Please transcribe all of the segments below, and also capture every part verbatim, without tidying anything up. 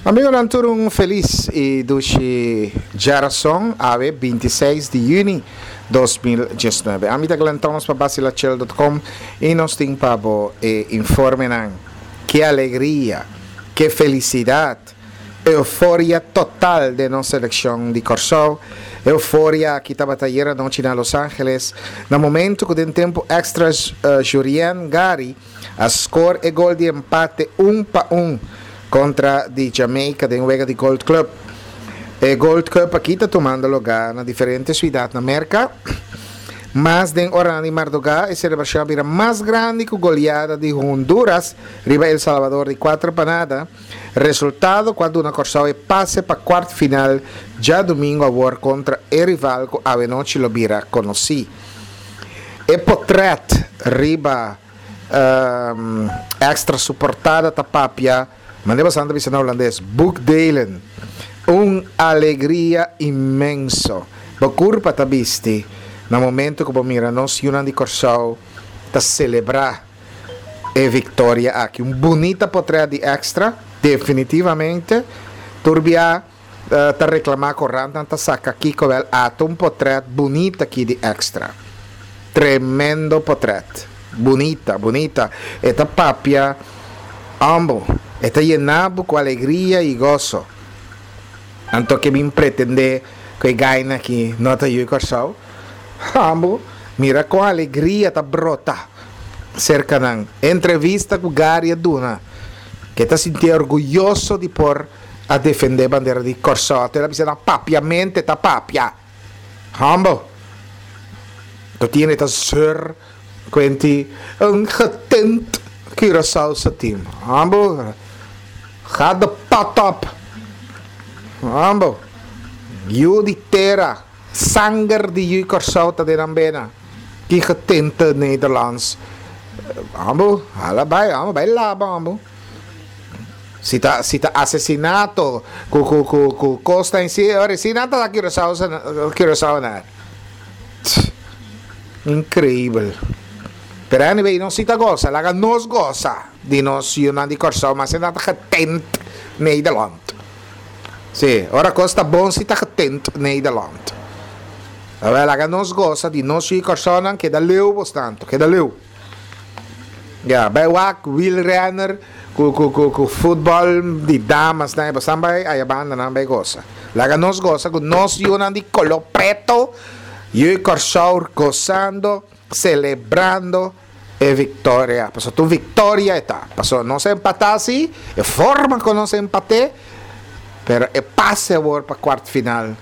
Amigonan tur un felis i dushi djarason, awe binti seis di yüni dos mil diesnuebe. Ami ta Glenn Thomas pa Basilachill dot com i nos tin pa bo e informenan. Ke alegria, ke felisidat, euforia total den nos selekshon di Kòrsou. Euforia aki tabata ayera anochi na Los Angeles na momento ku den tempu èkstra Jurien Gary a skor e gol di empate un pa un kontra di Jamaica den wega di Gold Club. E Gold Cup aki ta tumando lugá na diferente suidat na Merka. Mas den oranan di mardugá e selebrashon a bira mas grandi ku goleada di Honduras riba El Salvador di kuater pa nada, resultado ku a duna Kòrsou e pase pa kuart final djadumingu awor kontra e rival ku awenochi lo bira konosí. E potrèt riba Extra su portada ta papia, manera boso ta bisa na hulandes, boekdelen. Un alegria inmenso. Bo kurpa ta bisti na momento ku bo mira nos yunan di Kòrsou ta selebrá e viktoria aki. Un bunita potrèt di Extra, definitivamente. Tur bia ta reklamá korantnan ta saka kiko wèl ata un potrèt bunita aki di Extra. Tremendo potrèt. Bunita, bunita. E ta papia ambo. E ta yena bo ku alegria i goso. Anto ke bin pretendé ku e gaina aki no ta yu i Kòrsou? Ambo, mira kon alegria ta brota serka nan. Entrevista ku Gary a duna, ke ta sintié orguyoso di por a defendé bandera di Kòrsou. Anto el a bisa nan papiamente ta papia. Humble. To tiene ta zeur kuenti un getint Curaçaose team. Humble. Ga de pot op. Humble. Yu di tera, sanger di yu Kòrsou ta den nan bena. Ki getinte Nederlands. Humble, hala bai, humble, bai laba, humble. Si ta si ta asesinato ku ku ku ku kos ta insi ora si nan ta da Curaçao Curaçao na. Increibel. Pero anyway nos si ta gosa, laga nos gosa di nos yunan di Kòrsou mas e nan ta getent Nederland. Si, ora kos ta bon si ta getent Nederland. Awel laga nos gosa di nos yu di Kòrsounan keda leu bos tanto, keda leu. Ya, bai wak wielrenner ku ku ku ku futbòl di damas nan e bosan bai aya banda nan bai gosa. Laga nos gosa ku nos yunan di koló preto, yu i Kòrsou gosando, selebrando e viktoria. Pasobra ta un viktoria e ta. Pasobra nos a empatá si, e forma ku nos a empat'é, pero e pase awor pa kuart final.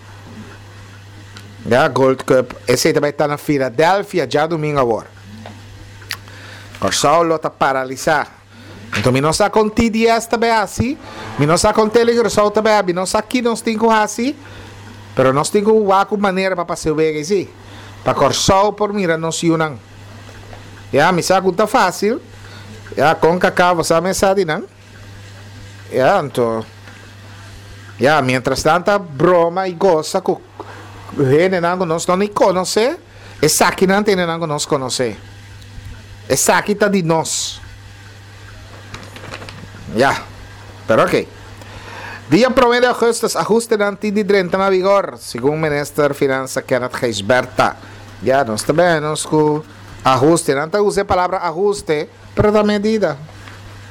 Ya, Gold Cup, esei ta bai ta na Philadelphia djadumingu awor. Kòrsou lo ta paralisá. Anto mi no sa kon T D S ta bai hasi, mi no sa kon Tele Curaçao ta bai hasi, mi no sa ki nos tin ku hasi, pero nos tin ku wak un manera pa pasa e wega esei, pa Kòrsou por mira nos yunan. Ya, mi sa ku ta fásil, ya, kon kaka bo sa mesa di nan. Ya, anto, ya, mientras nan ta broma i gosa ku hendenan ku nos no ni konosé, esakinan ta hendenan ku nos konosé. Esaki ta di nos. Ya, pero ok. Dia promé di augustus ahustenan tin di drenta na vigor, segun minister Finansa Kenneth Gijsbertha. Ya, nos ta bèn nos ku ahuste. Nan ta usa e palabra ahuste, pero ta medida.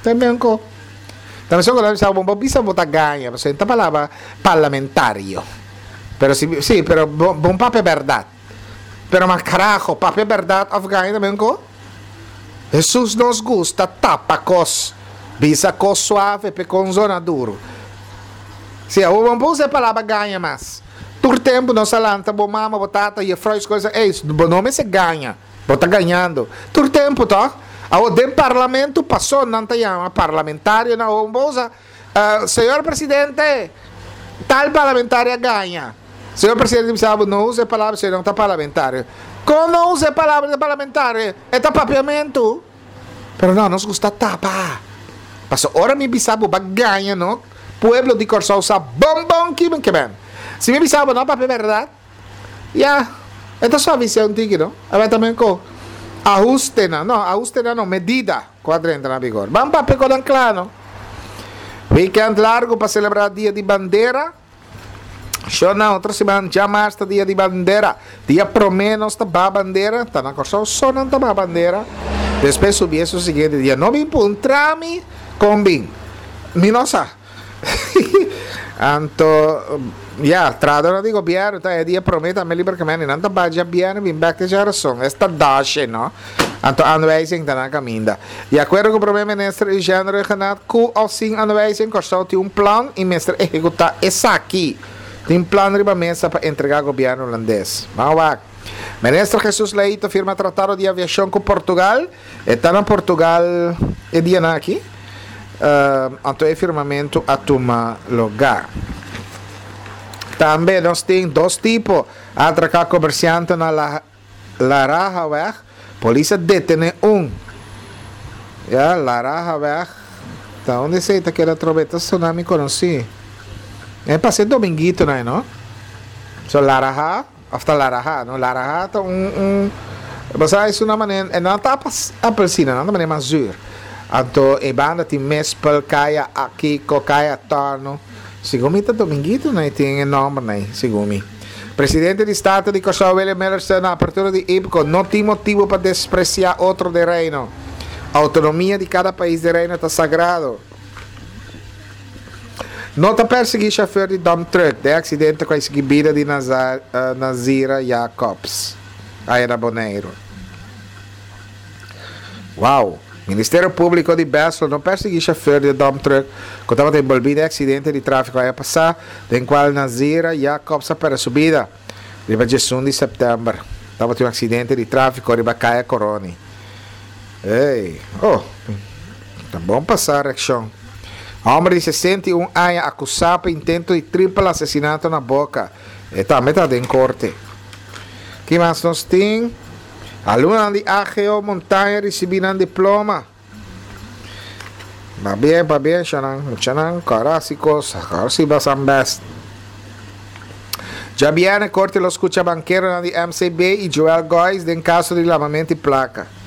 Ta ben ko. Ta mester ku nan bisa bo, bo bisa bo ta gaña, pasobra ta palabra parlamentario. Pero si, si, pero bo, bo papia bèrdat. Pero ma carajo, papia berdad of gaña también ko? Jesus nos gusta tapa cos, bisa cos suave pe con zona duro. Si, awor bo no por usa e palabra gaña mas. Tur tempo nos a lanta bo mama, bo tata, juffrouw, escola, sa, ey, bo no mester gaña, bo ta gañando. Tur tempo, toch? Awor den parlamento paso nan ta yama parlamentario nan, awor bo por usa, eh, señor presidente, tal parlamentario a gaña. Señor presidente bisa bo no usa e palabra si no ta parlamentario. Kon no usa e palabra di parlamentario? E ta papiamentu. Pero no, nos gusta tapa. Paso ora mi bisa bo ba gaña no, pueblo di Kòrsou sa bon bon ki men ke ben. Si mi bisa bo no papia bèrdat, ya, e ta suavisá un tiki no. A bai tambe ko ahustenan, no, ahustenan no, medida ku a drenta na vigor. Ban papia ku nan kla no. Weekend largu pa selebrá Dia di Bandera. Shona, otro siman djamars ta Dia di Bandera. Dia promé nos ta baha bandera, ta na Kòrsou so nan ta baha bandera. Despues subi esun siguiente dia. No bin puntra mi kon bin. Mi no sa. Anto, ya, trahadónan di gobièrnu ta e dia promé tambe liber kaminda. Nan ta baha djabièrnè bin bèk te djarason. Esta dashe, no? Anto aanwijzing ta na kaminda. Di akuerdo ku Prome Minister Eugène Rhuggenaath, ku òf sin aanwijzing Kòrsou tin un plan i mester ehekutá esaki. Tin plan riba mesa pa entregá gobièrnu hulandes. Ban wak. Minister Jesus Leito firma tratado di aviashon ku Portugal. E ta na Portugal e dianan aki. Anto e firmamentu a tuma lugá. Tambe nos tin dos tipo a atraká komersiante na La Larahaweg, polis a detene un. Ya, Larahaweg, ta unda esey ta keda atrobe? Ta sona mi conoci. E pasa e dominguito nan, no? So Laraha, of ta Laraha, no? Laraha ta un, un, bo sa es una manera, e no ta apelsina, nan ta manera mas zuur. Anto e banda tin mespel, kaya akiko, kaya torno. Segun mi ta Dominguito nan e tin e nomber nan, segun mi. Presidente di Staten di Kòrsou William Millerson na apertura di IPKO, No tin motibu pa despresiá otro den Reino. Outonomia di kada pais den Reino ta sagrado. No ta persiguí shofùr di dump truck den aksidente ku a sigui bida di Nazira Jacobs aya na Boneiru. Wow! Ministerio Públiko di Bèsel no persiguí shofùr di e dump truck ku tabata enbolbí den e aksidente di tráfiko aña pasá, den kual Nazira Jacobs a pèrdè su bida. Riba diesun di sèptèmber tabatin un aksidente di tráfiko riba Kaya Koroni. Ey! Oh! Ta bon pasá reakshon. Hòmber di sesenta i un aña akusá pa intento di tripel asesinato na Boka. E tambe ta den korte. Ki mas nos tin? Alumnonan di A G O Montaña ricibi nan diploma. Pabien, pabien, shanan, muchanan, kòrda hasi kos, kòrda si basan best. Djabièrnè korte lo skucha bankeronan di M C B i Joel Gois den kaso di lamamento di plaka.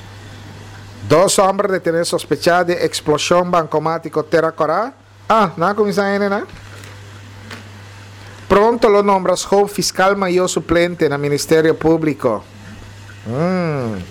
Dos hòmber detené sospechá den eksploshon bankomátiko Tera Kòrá. Ah, nan a kuminsá hende nan? Pronto lo nombra Schoop fiskal mayó suplente na Ministerio Públiko. Mm.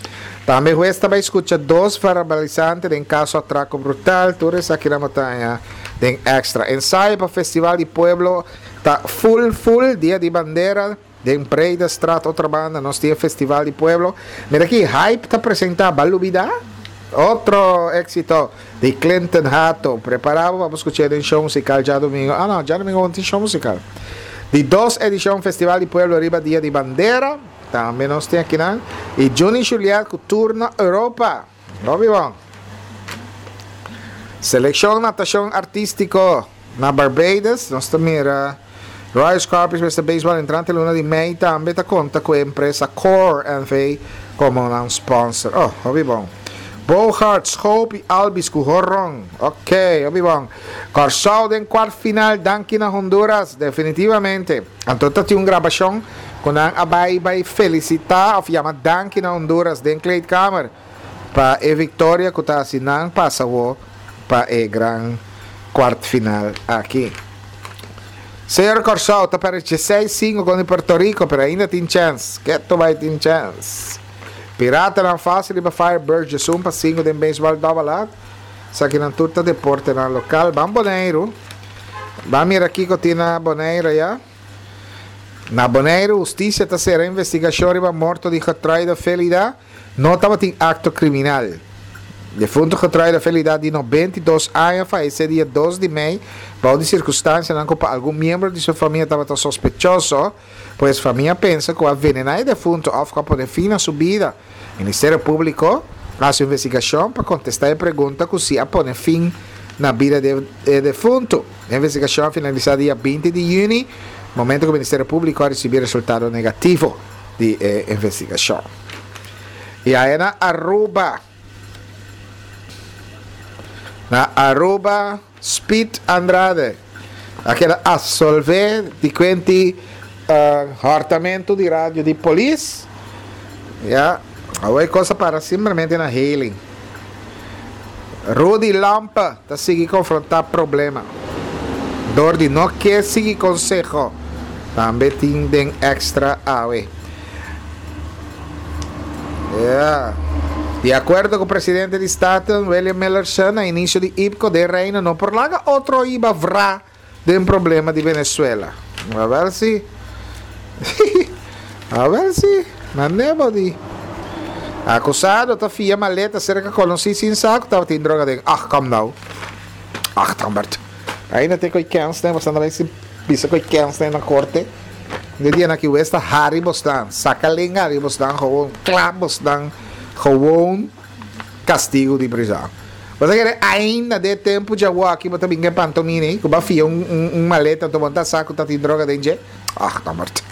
Tambe hues ta bai skucha dos verbalisante den kaso atrako brutal. Tur esaki nan bo ta haña den Extra. Ensayo pa Festival di Pueblo ta full full dia di bandera. Den Breedestraat otro banda nos tin e Festival di Pueblo. Mira aki Hype ta presenta Ba Lubida? Otro exito di Clinton Hato. Prepara bo pa bo scucha den show musical djadomingo. Ah no, djadomingo bo no tin show musical. Di dos edicion Festival di Pueblo riba Dia di Bandera. Tambe nos tin akinan. Y Juni Juliet cu tour na Europa. Hopi bon. Seleccion Natacion Artistico na Barbados. Nos ta mira Royal Scorpions mester Baseball entrante luna di mei tambe ta konta ku e empresa Core N V komo nan sponsor. Oh, hopi bon. Bogart, Schoop i Albies ku horon. Ok, hopi bon. Kòrsou den kwart final danki na Honduras, definitivamente. Anto ta tin un grabashon ku nan a bai bai felisitá òf yama danki na Honduras den kleedkamer pa e viktoria ku ta hasi nan pasa awo pa e gran kwart final aki. Señor Kòrsou ta pèrdè dieseis sinku kontra Puerto Rico pero ainda tin chèns. Keto bai tin chèns. Piratanan fásil riba Firebirds diesun pa sinku den beisbòl dòbel A. Esakinan tur ta deportenan lokal. Ban Boneiru. Ban mira kiko tin na Boneiru ayá. Na Boneiru hustisia ta sera investigashon riba morto di Getruida Felida. No tabatin akto kriminal. Defuntu Getruida Felida di nobenta i dos aña fayesé dia dos di mei bou di sirkunstansianan ku pa algun miembro di su famia tabata sospechoso, pues famia pensa ku a venená e defuntu òf ku a pone fin na su bida. Ministerio Públiko a hasi un investigashon pa kontestá e pregunta ku si a pone fin na bida di e defuntu. E investigashon a finalisá dia binti di yüni, momento ku Ministerio Públiko a risibí resultado negativo di e investigashon. I aya na Aruba, na Aruba Speed Andrade a keda absolvé di kuenti hòrtamentu di radio di polis. Ya, awor e kos a para simplemente na hailing. Rudy Lampe ta sigui konfrontá problema. Dor di no ke sigui konseho. Tambe tin den Extra awe. Yeah. Di akuerdo ku presidente di Staten, William Millerson, na inisio di IPKO den Reino no por laga otro hiba vra den problema di Venezuela. A ber si. A ber si. Mane bo di. Akusado ta fia maleta serka konosí sin sa ku tabatin droga aden. Ach, kom nou. Ach, Tambert. Ainda te koi kens, ne? Bosnan ta bai bisa koi kens na korte. De dia na ki westa hari bosnan. Saka lenga hari bosnan. Gewoon kla bosnan. Gewoon kastigu di prizòn. Bo ta kere ainda den tempu djawo aki bo ta bin ku e pantomina ei ku bo a fia un un maleta anto bo no ta sa ku ta tin droga den dje? Ach, Tambert.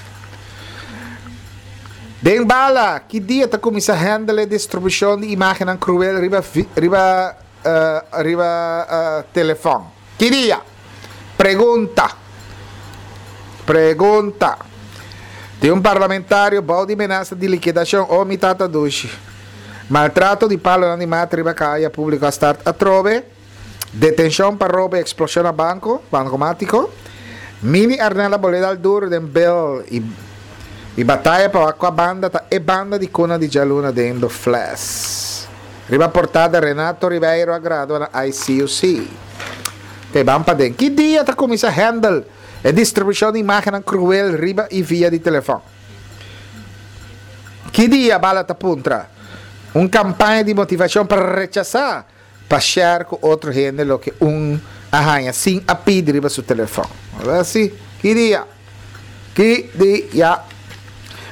Den bala, ki dia ta kuminsá handle e distribushon di imágennan kruel riba riba riba telefòn? Ki dia? Pregunta. Pregunta. Tin un parlamentario bou di menasa di likidashon. Oh mi tata dushi. Maltrato di palonan di mata riba kaya públiko a start atrobe. Detenshon pa robo i eksploshon na banko, bankomátiko. Mini Arnel a bolé dal duru den bel i i bataya pa wak kua banda ta e banda di kuna di djaluna den The Fles. Riba portada Renato Ribeiro a gradua na I C U C. Te ban paden. Ki dia ta kuminsá handle e distribushon di imágennan kruel riba i via di telefòn? Ki dia Bala ta puntra? Un kampaña di motivashon pa rechasá pa share ku otro hende loke un a haña sin a pidi riba su telefòn. Así, ki dia? Ki dia?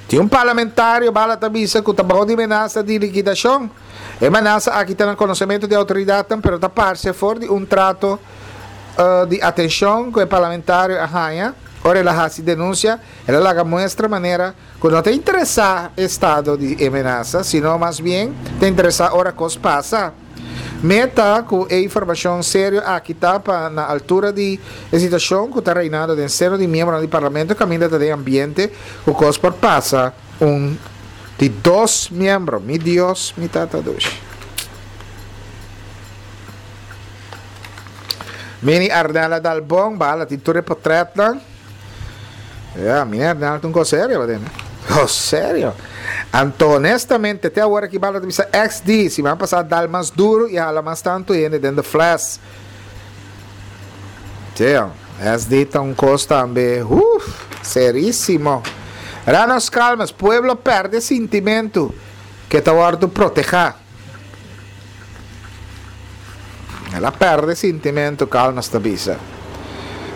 Tin un parlamentario bala ta bisa ku ta bou di menasa di likidashon. E menasa aki ta na konosementu di outoridatnan pero ta parse for di un trato di atenshon ku e parlamentario a haña ora el a hasi denunsia. El a laga muestra manera ku no ta interesá e estado di e menasa, sino mas bien ta interesá ora kos pasa. Meta ku e informashon serio aki ta pa na altura di e situashon ku ta reinando den seno di miembronan di Parlamento kaminda ta den ambiente ku kos por pasa un di dos miembro. Mi Dios, mi Tata dushi. Mini Arnel a dal bon bala tin tur e potretnan. Ya, Mini Arnel ta un kos serio pa den. Kos serio. Anto honestamente te awor aki bala ta bisa X D siman pasa dal mas duro y hala mas tanto hende den the fles. Teo, S D ta un kos tambe, uff, serisimo. Ranos calmas, pueblo perde sintimento ke ta wordo proteha. El a perde sintimento, Calmes ta bisa.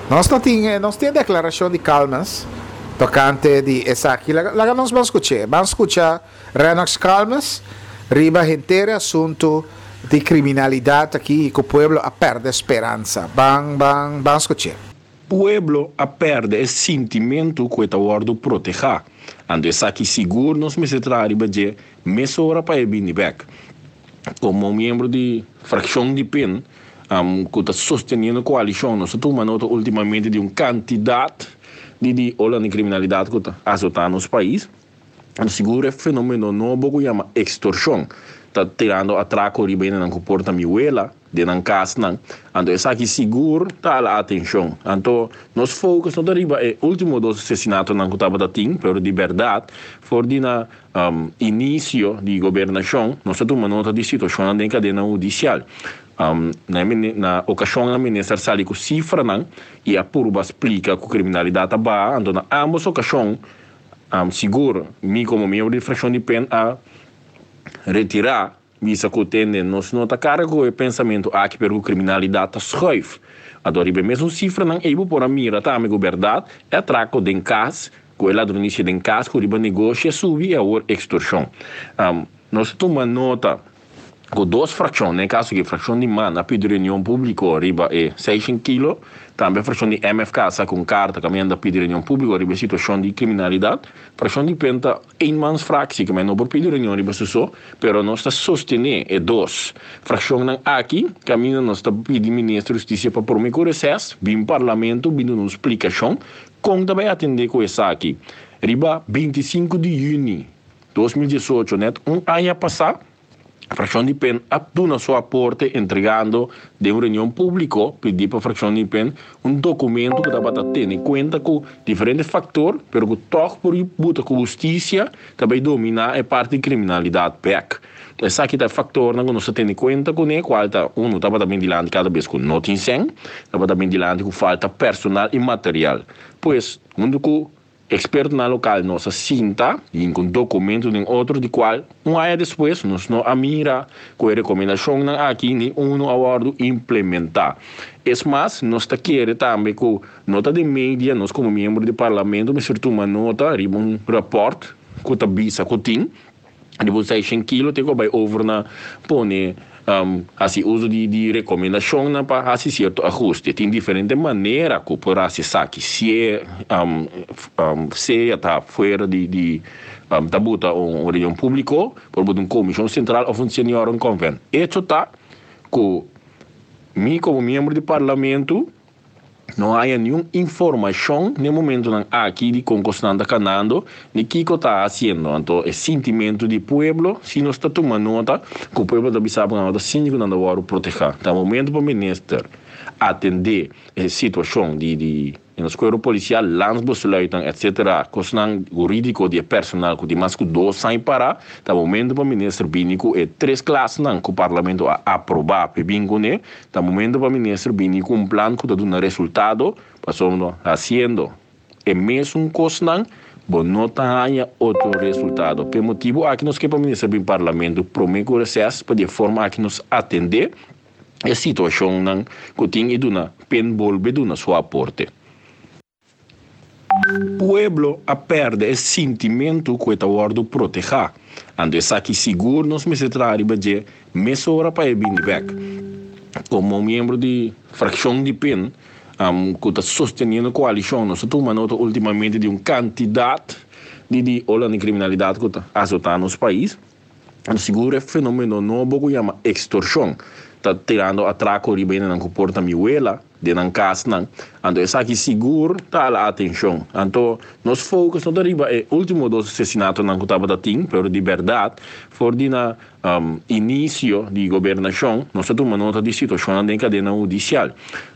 Nos no tin, nos tin e declaracion di Calmes tocante di esaki. Laga, laga nos ban scuch'é. Ban scucha Rennox Calmes riba henter e asunto di criminalidad aki y cu pueblo a perde speransa. Ban, ban, ban scuch'é. Pueblo a perde e sintimentu ku e ta wòrdu protehá. Anto esaki sigur nos mester traha riba dje mesora pa e bini bèk. Komo miembro di frakshon di pen ku ta sosteniendo koalishon nos a tuma nota ultimamente di un kantidat di di ola di kriminalidat ku ta asotá nos pais. Anto sigur e fenomeno nobo ku yama ekstorshon ta tirando atrako riba hendenan ku por ta mi wela den nan kasnan. Anto esaki sigur ta hala atenshon. Anto nos focus no ta riba e ultimo dos asesinatonan ku tabata tin, pero di bèrdat for di na inisio di gobernashon nos ta tuma nota di situashonnan den kadena hudisial. Na na okashonnan minister sali ku sifranan i a purba splika ku kriminalidat a baha. Anto na ambos okashon sigur mi komo miembro di frakshon di pen a retirá, bisa ku tende nos no ta karga ku e pensamentu aki pero ku kriminalidat ta schuif. Anto riba e mesun sifranan ei bo por a mira tambe ku bèrdat e atrako den kas, ku e ladronisia den kas, ku riba negoshi a subi i awor ekstorshon. Nos a tuma nota ku dos frakshon, den e kaso aki frakshon di man a pidi reunion públiko riba e seishen kilo, tambe frakshon di M F K a saka un karta kaminda a pidi reunion públiko riba e situashon di kriminalidat. Frakshon di pen ta eenmansfractie, ku men no por pidi reunion riba su so, pero nos ta sostené e dos frakshonnan aki, kaminda nos ta pidi minister di Hustisia pa promé ku reses bin parlamento bin duna un splikashon kon ta bai atendé ku esaki. Riba binti sinku di yüni dos mil diesocho, nèt un aña pasá, Frakshon di P E N a duna su aporte entregando den un reunion públiko, pidi pa frakshon di P E N un dokumento ku tabata tene kuenta ku diferente faktor, pero ku toch por buta ku hustisia tambe dominá e parti di kriminalidat bèk. Esaki ta faktor ku nos tene kuenta kuné, kual ta un tabata bin dilanti kada bes ku no tin sèn, tabata bin dilanti ku falta personal i material. Pues, huntu ku ekspertonan lokal nos a sinta i ku dokumento den otro di kual un aña despues nos no a mira ku e rekomendashonnan aki ni un a wòrdu implementá. Es mas, nos ta kere tambe ku nota di media, nos komo miembro di parlamento mester tuma nota riba un rapport ku ta bisa ku tin di seishent kilo te ku bai over na pone um, hasi uso di, di rekomendashon pa hasi sierto ahuste. Tin diferente manera ku por hasi esaki. Si um, um, sea ta fuera di, di um, ta buta un, un reunion públiko, por un komishon sentral òf un seniorenconvent. Echo ta ku mi komo miembro di parlamento no tin ningun informashon na momentonan aki di kon kosnan ta kanando, ni kiko ta hasiendo. Anto, e sentimentu di pueblo, si nos ta tuma nota, ku pueblo ta bisa ku ta sinku nan ta protehá. Ta momento pa minister atendé e situashon di, di nos kuerpo polisial, landsbesluiten, et cetera, kosnan hurídiko di personal ku tin mas ku dos aña pará, ta momento pa minister bini ku e tres klasenan ku parlamento a aprobá pa bin kuné, ta momento pa minister bini ku un plan ku ta duna resultado, pasobra hasiendo e mesun kosnan, bo no ta haña otro resultado. Pa e motibu aki nos ke pa minister bin parlamento promé ku reses pa di forma aki nos atendé e situashonnan ku tin i duna P E N bolbe duna su aporte. Pueblo a pèrdè e sentimentu ku ta wòrdu protehá. Anto esaki sigur nos mester traha riba dje mesora pa e bini bèk. Komo miembro di frakshon di P E N, um, ku ta sosteniendo koalishon, nos a tuma nota últimamente di un kantidat di, di ola di kriminalidat ku ta asotando nos pais. Sigur e fenómeno nobo ku yama ekstorshon. Ta tirando atrako riba nan ku porta mi wela, den nan kasnan. Anto esaki sigur ta hala atenshon. Anto nos focus no ta riba e último dos asesinatonan ku tabata tin, pero di berdat, for di na um, inisio di gobernashon, nos a tuma nota di situashon den kadena hudisial.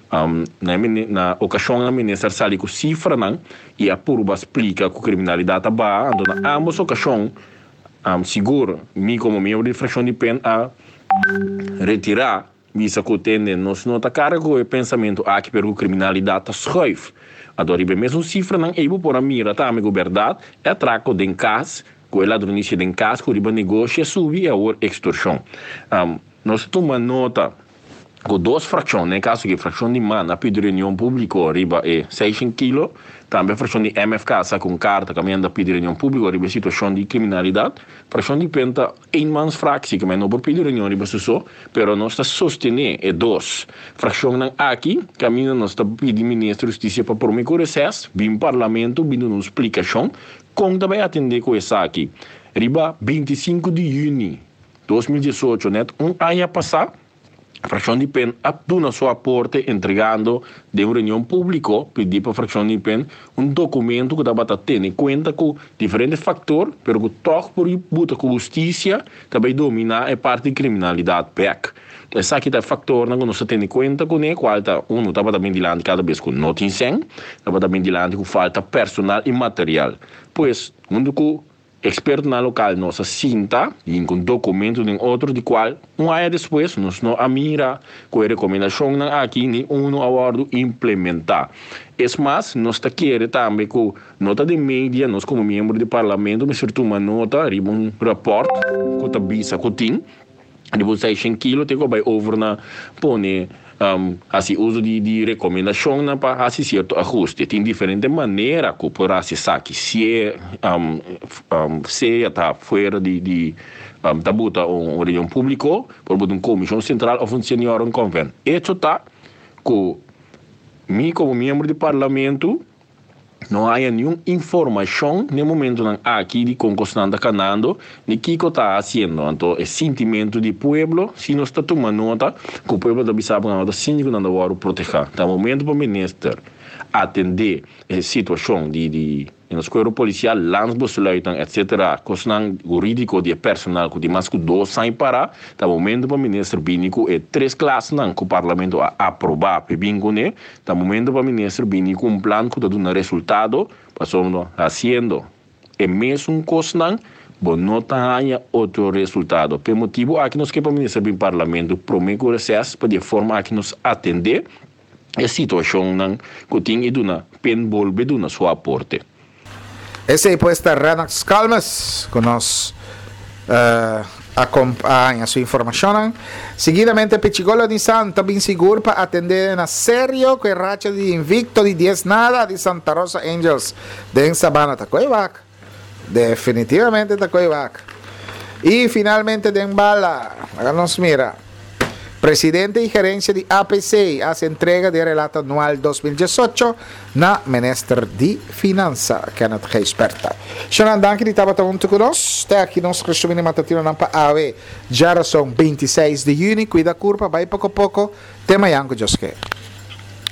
Um, na, na okashon e minister a sali ku sifranan i a purba splika ku kriminalidat a baha, anto na ambos okashon um, sigur mi komo miembro di frakshon di P E N a retirá, bisa ku tende nos no ta karga ku e pensamentu aki, pero kriminalidat ta schuif. Anto riba mesun sifranan ei bo por a mira tambe ku berdat e atrako den kas ku e ladronisia den kas ku riba negoshi a subi i awor ekstorshon. Um, nos a tuma nota ku dos frakshon, den kaso ku frakshon di MAN a pidi reunion públiko riba e seishent kilo, tambe frakshon di M F K a saka un karta kaminda a pidi reunion públiko riba situashon di kriminalidat. Frakshon di P E N ta eenmansfractie, ku no por pidi reunion riba so, pero nos ta sostené e dos frakshonnan aki, kaminda nos ta pidi minister di hustisia pa promé ku reses, bin parlamento, bin duna un splikashon, kon ta bai atendé ku esaki. Riba bintisinku di yüni dos mil diesocho, net un aña pasá, frakshon di P E N a duna su aporte entregando den un reunion públiko, pidi pa frakshon di P E N un dokumento ku tabata tene kuenta ku diferente faktor, pero ku toch por buta ku hustisia tambe dominá e parti di kriminalidat bèk. Esaki ta faktornan ku nos tene kuenta kuné, kual ta un tabata bin dilanti kada bes ku no tin sèn, tabata bin dilanti ku falta personal i material. Pues, huntu ku ekspertonan lokal nos a sinta i ku dokumento den otro di kual un aña despues nos no a mira ku e rekomendashonnan aki ni un a wòrdu implementá. Es mas, nos ta kere tambe ku nota di media, nos komo miembro di parlamento mester tuma nota riba un rapport ku ta bisa ku tin di seishent kilo te ku bai over na pone um, hasi uso di, di rekomendashonnan pa hasi sierto ahuste. Tin diferente manera ku por hasi esaki. Si um, um, sea ta fuera di, di um, ta buta un, un reunion públiko, por un komishon sentral òf un seniorenconvent. Echo ta ku mi komo miembro di parlamento no tin ningun informashon na momentonan aki di kon kosnan ta kanando, ni kiko ta hasiendo. Anto, e sentimentu di pueblo, si nos ta tuma nota, ku pueblo ta bisa ku ta sinku nan ta wòrdu protehá. Ta momento pa minister Atendé e situashon di di den kuerpo polisial, landsbesluiten, et cetera, kosnan hurídiko di personal ku di mas ku dos aña para, ta momento pa minister bini ku e tres klasnan ku parlamento a aprobá pa bin kuné, ta momento pa minister bini ku un plan ku ta duna resultado, pasobra hasiendo e mesun kosnan bo no ta haña otro resultado. Pa e motibu aki nos ke pa minister bin parlamento promé ku reses pa di forma aki nos atendé e situashonnan ku tin i duna p'e bolbe duna su aporte. Esei pues ta Renax Calmes ku nos uh, akompañá su informashon. Seguidamente, Pichigolo Nissan ta bin sigur pa atendé na serio ku e racha di invikto di dies nada di Santa Rosa Angels den Sabana ta koi wak. Definitivamente ta koi wak. I finalmente den bala, nos mira. Presidente i gerensia di A P C hasi entrega di relato anual dos mil diesocho na Minister di Finansa, Kenneth Gijsbertha. Shonan, danki di tabata huntu ku nos. Te aki nos resumen matutino nan pa awe. Djárason bintiseis di yüni, kuida kurpa, bai poko poko. Te mañan ku Dios ke.